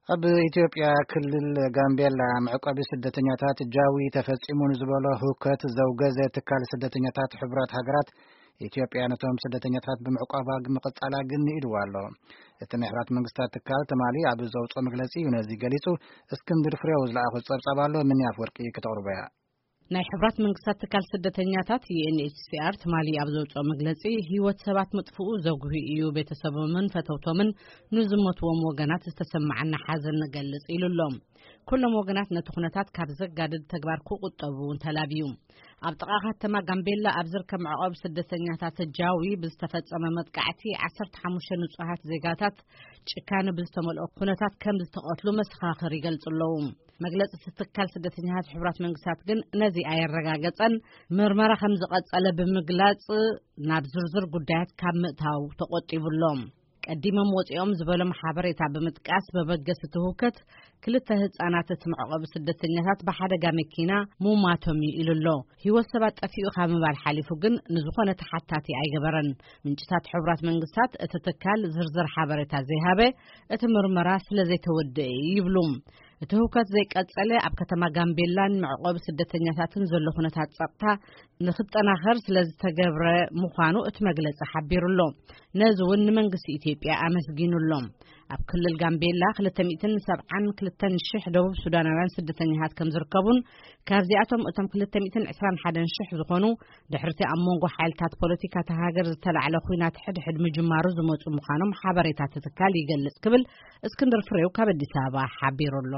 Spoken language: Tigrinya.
ኣብ ኢትዮጵያ ክልል ጋምቤላ መዕቆቢ ስደተኛታት ጃዊ ተፈጺሙ ንዝበሎ ህውከት ዘውገዘ ትካል ስደተኛታት ሕቡራት ሃገራት፣ ኢትዮጵያ ነቶም ስደተኛታት ብምዕቋባ ምቕጻላ ግን ንኢድዋ ኣሎ። እቲ ናይ ሕቡራት መንግስታት ትካል ትማሊ ኣብ ዘውፅኦ መግለጺ እዩ ነዚ ገሊጹ። እስክንድር ፍሬው ዝለኣኾ ጸብጻብ ኣሎ፣ ምንያፍ ወርቂ ክተቕርቦ እያ። ናይ ሕብራት መንግስታት ትካል ስደተኛታት፣ ዩ ኤን ኤች ሲ ኣር፣ ትማሊ ኣብ ዘውፅኦ መግለጺ፣ ህይወት ሰባት ምጥፍኡ ዘጉሂ እዩ። ቤተሰቦምን ፈተውቶምን ንዝሞትዎም ወገናት ዝተሰማዓና ሓዘን ንገልጽ ኢሉ ኣሎ። ኩሎም ወገናት ነቲ ኩነታት ካብ ዘጋድድ ተግባር ክቑጠቡ እውን ተላብዩ። ኣብ ጥቓ ከተማ ጋምቤላ ኣብ ዝርከብ መዕቆቢ ስደተኛታት ጃዊ ብዝተፈጸመ መጥቃዕቲ ዓሰርተ ሓሙሽተ ንጹሃት ዜጋታት ጭካነ ብዝተመልኦ ኩነታት ከም ዝተቐትሉ መሰኻኽር ይገልጹ ኣለዉ። መግለጺ እቲ ትካል ስደተኛታት ሕቡራት መንግስታት ግን ነዚ ኣየረጋገጸን፣ ምርመራ ከም ዝቐጸለ ብምግላጽ ናብ ዝርዝር ጉዳያት ካብ ምእታው ተቖጢቡ ኣሎ። ቀዲሞም ወጺኦም ዝበሎም ሓበሬታ ብምጥቃስ፣ መበገሲ እቲ ህውከት ክልተ ህጻናት እቲ መዕቆቢ ስደተኛታት ብሓደጋ መኪና ሙማቶም እዩ ኢሉ ኣሎ። ህይወት ሰባት ጠፊኡ ካብ ምባል ሓሊፉ ግን ንዝኾነ ተሓታቲ ኣይገበረን። ምንጭታት ሕቡራት መንግስታት እቲ ትካል ዝርዝር ሓበሬታ ዘይሃበ፣ እቲ ምርመራ ስለ ዘይተወደአ እዩ ይብሉ። እቲ ህውከት ዘይቀጸለ፣ ኣብ ከተማ ጋምቤላን መዕቆቢ ስደተኛታትን ዘሎ ኩነታት ጸጥታ ንክጠናኸር ስለ ዝተገብረ ምዃኑ እቲ መግለጺ ሓቢሩ ኣሎ። ነዚ እውን ንመንግስቲ ኢትዮጵያ ኣመስጊኑ ኣሎ። ኣብ ክልል ጋምቤላ ክልተ ሚእትን ሰብዓን ክልተን ሽሕ ደቡብ ሱዳናውያን ስደተኛታት ከም ዝርከቡን፣ ካብዚኣቶም እቶም ክልተ ሚእትን ዕስራን ሓደን ሽሕ ዝኾኑ ድሕርቲ ኣብ መንጎ ሓይልታት ፖለቲካ እታ ሃገር ዝተላዕለ ኲናት ሕድሕድ ምጅማሩ ዝመጹ ምዃኖም ሓበሬታ እቲ ትካል ይገልጽ ክብል እስክንድር ፍሬው ካብ ኣዲስ ኣበባ ሓቢሩ ኣሎ።